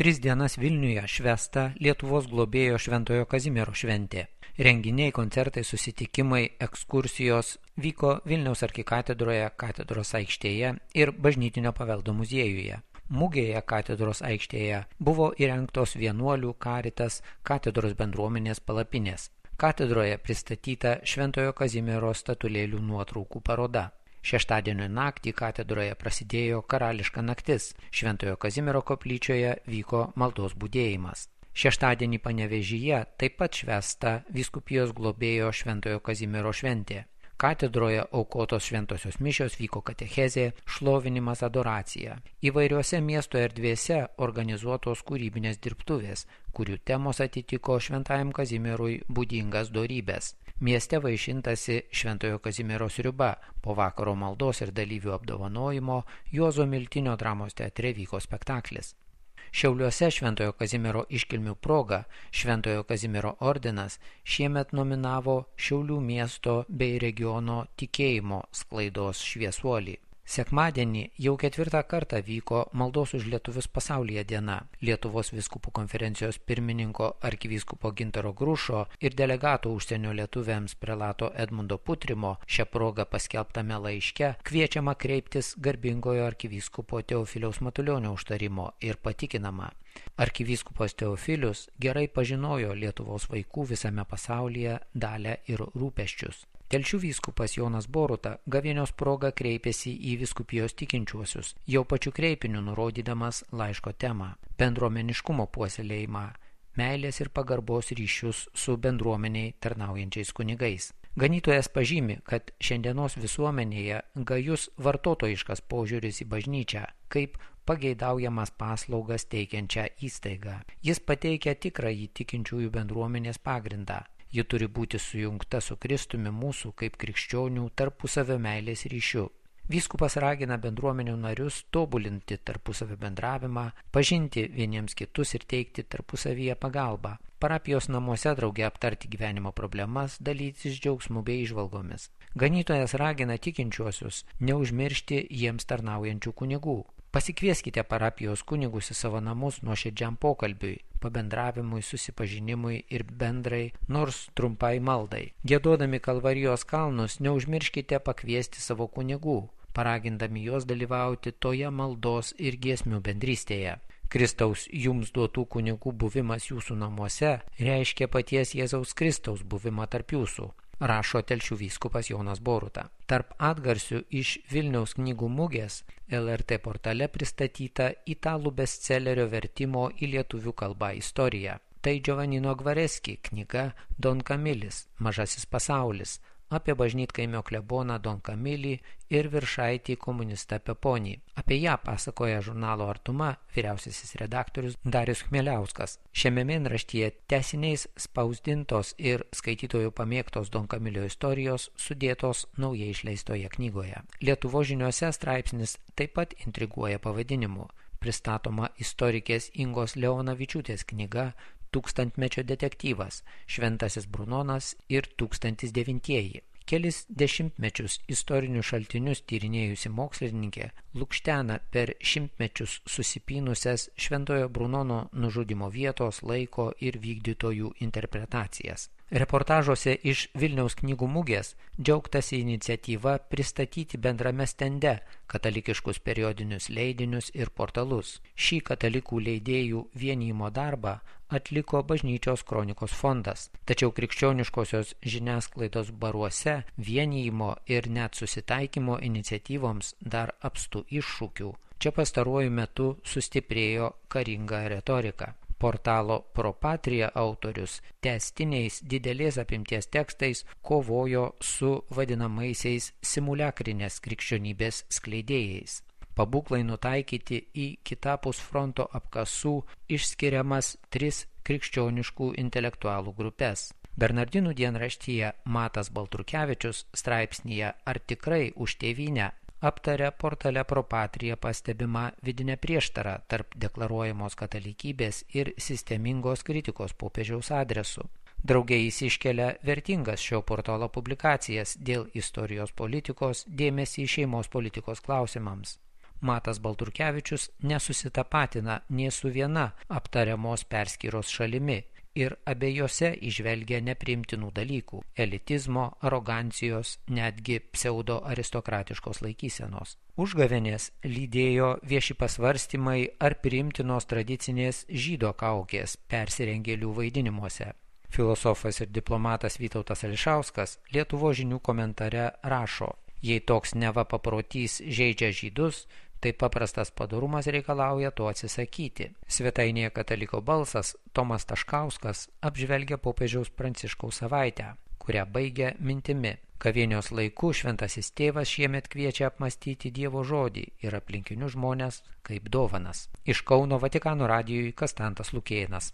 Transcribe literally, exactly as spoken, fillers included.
Tris dienas Vilniuje švęsta Lietuvos globėjo Šventojo Kazimiero šventė. Renginiai, koncertai, susitikimai, ekskursijos vyko Vilniaus arkikatedroje, katedros aikštėje ir Bažnytinio paveldo muziejuje. Mugėje katedros aikštėje buvo įrengtos vienuolių, Karitas, katedros bendruomenės palapinės. Katedroje pristatyta Šventojo Kazimiero statulėlių nuotraukų paroda. Šeštadienio naktį katedroje prasidėjo karališka naktis. Šventojo Kazimiero koplyčioje vyko maldos budėjimas. Šeštadienį Panevėžyje taip pat švęsta vyskupijos globėjo Šventojo Kazimiero šventė. Katedroje aukotos šventosios mišios, vyko katechezė, šlovinimas, adoracija. Įvairiuose miesto erdvėse organizuotos kūrybinės dirbtuvės, kurių temos atitiko Šventajam Kazimierui būdingas dorybės. Mieste vaišintasi Šventojo Kazimiero sriuba. Po vakaro maldos ir dalyvių apdovanojimo Juozo Miltinio dramos teatre vyko spektaklis. Šiauliuose Šventojo Kazimiero iškilmių proga Šventojo Kazimiero ordinas šiemet nominavo Šiaulių miesto bei regiono tikėjimo sklaidos šviesuolį. Sekmadienį jau ketvirtą kartą vyko Maldos už lietuvius pasaulyje diena. Lietuvos vyskupų konferencijos pirmininko arkivyskupo Gintaro Grušo ir delegato užsienio lietuviams prelato Edmundo Putrimo šią progą paskelbtame laiške kviečiama kreiptis garbingojo arkivyskupo Teofiliaus Matulionio užtarimo ir patikinama. Arkivyskupas Teofilius gerai pažinojo Lietuvos vaikų visame pasaulyje dalią ir rūpesčius. Telšių vyskupas Jonas Boruta gavėnios proga kreipėsi į vyskupijos tikinčiuosius, jau pačiu kreipiniu nurodydamas laiško temą – bendruomeniškumo puoselėjimą, meilės ir pagarbos ryšius su bendruomeniai tarnaujančiais kunigais. Ganytojas pažymi, kad šiandienos visuomenėje gajus vartotojiškas požiūris į bažnyčią kaip pageidaujamas paslaugas teikiančią įstaigą. Jis pateikia tikrąjį tikinčiųjų bendruomenės pagrindą. Ji turi būti sujungta su Kristumi mūsų kaip krikščionių tarpusavio meilės ryšiu. Vyskupas ragina bendruomenių narius tobulinti tarpusavio bendravimą, pažinti vieniems kitus ir teikti tarpusavyje pagalbą. Parapijos namuose drauge aptarti gyvenimo problemas, dalytis džiaugsmu bei įžvalgomis. Ganytojas ragina tikinčiuosius neužmiršti jiems tarnaujančių kunigų. Pasikvieskite parapijos kunigus į savo namus nuoširdžiam pokalbiui, pabendravimui, susipažinimui ir bendrai, nors trumpai maldai. Giedodami Kalvarijos kalnus neužmirškite pakviesti savo kunigų, paragindami juos dalyvauti toje maldos ir giesmių bendrystėje. Kristaus jums duotų kunigų buvimas jūsų namuose reiškia paties Jėzaus Kristaus buvimą tarp jūsų, rašo Telšių vyskupas Jonas Boruta. Tarp atgarsių iš Vilniaus knygų mugės L R T portale pristatyta italų bestsellerio vertimo į lietuvių kalbą istorija. Tai Giovannino Gvareski knyga Don Kamilis, Mažasis pasaulis, apie bažnytkaimio kleboną Don Kamilį ir viršaitį komunistą Peponį. Apie ją pasakoja žurnalo Artuma vyriausiasis redaktorius Darius Chmieliauskas. Šiame mėnraštyje tęsiniais spausdintos ir skaitytojų pamėgtos Don Kamilio istorijos sudėtos naujai išleistoje knygoje. Lietuvos žiniuose straipsnis taip pat intriguoja pavadinimu. Pristatoma istorikės Ingos Leonavičiūtės knyga Tūkstantmečio detektyvas, Šventasis Brunonas ir tūkstantis devintieji. Kelis dešimtmečius istorinius šaltinius tyrinėjusi mokslininkė lukštena per šimtmečius susipynusias Šventojo Brunono nužudymo vietos, laiko ir vykdytojų interpretacijas. Reportažuose iš Vilniaus knygų mugės džiaugtasi iniciatyva pristatyti bendrame stende katalikiškus periodinius leidinius ir portalus. Šį katalikų leidėjų vienijimo darbą atliko Bažnyčios kronikos fondas, tačiau krikščioniškosios žiniasklaidos baruose vienijimo ir net susitaikymo iniciatyvoms dar apstu iššūkių. Čia pastaruoju metu sustiprėjo karinga retorika. Portalo Pro Patria autorius tęstiniais didelės apimties tekstais kovojo su vadinamaisiais simuliakrinės krikščionybės skleidėjais. Pabūklai nutaikyti į kitapus fronto apkasų išskiriamas tris krikščioniškų intelektualų grupės. Bernardinų dienraštyje Matas Baltrukevičius straipsnyje Ar tikrai už tėvynę aptarė portale Pro Patria pastebimą vidinę prieštarą tarp deklaruojamos katalikybės ir sistemingos kritikos popiežiaus adresu. Drauge jis iškelia vertingas šio portalo publikacijas dėl istorijos politikos, dėmesį šeimos politikos klausimams. Matas Baltrukevičius nesusitapatina nė su viena aptariamos perskyros šalimi ir abiejose įžvelgia nepriimtinų dalykų – elitizmo, arogancijos, netgi pseudo-aristokratiškos laikysenos. Užgavėnės lydėjo vieši pasvarstymai ar priimtinos tradicinės žydo kaukės persirengėlių vaidinimuose. Filosofas ir diplomatas Vytautas Ališauskas Lietuvos žinių komentare rašo: jei toks neva paprotys žeidžia žydus, tai paprastas padorumas reikalauja to atsisakyti. Svetainėje Kataliko balsas Tomas Taškauskas apžvelgia popiežiaus Pranciškaus savaitę, kurią baigia mintimi: gavėnios laiku šventasis tėvas šiemet kviečia apmąstyti Dievo žodį ir aplinkinius žmones kaip dovanas. Iš Kauno Vatikano radijui Kastantas Lukėnas.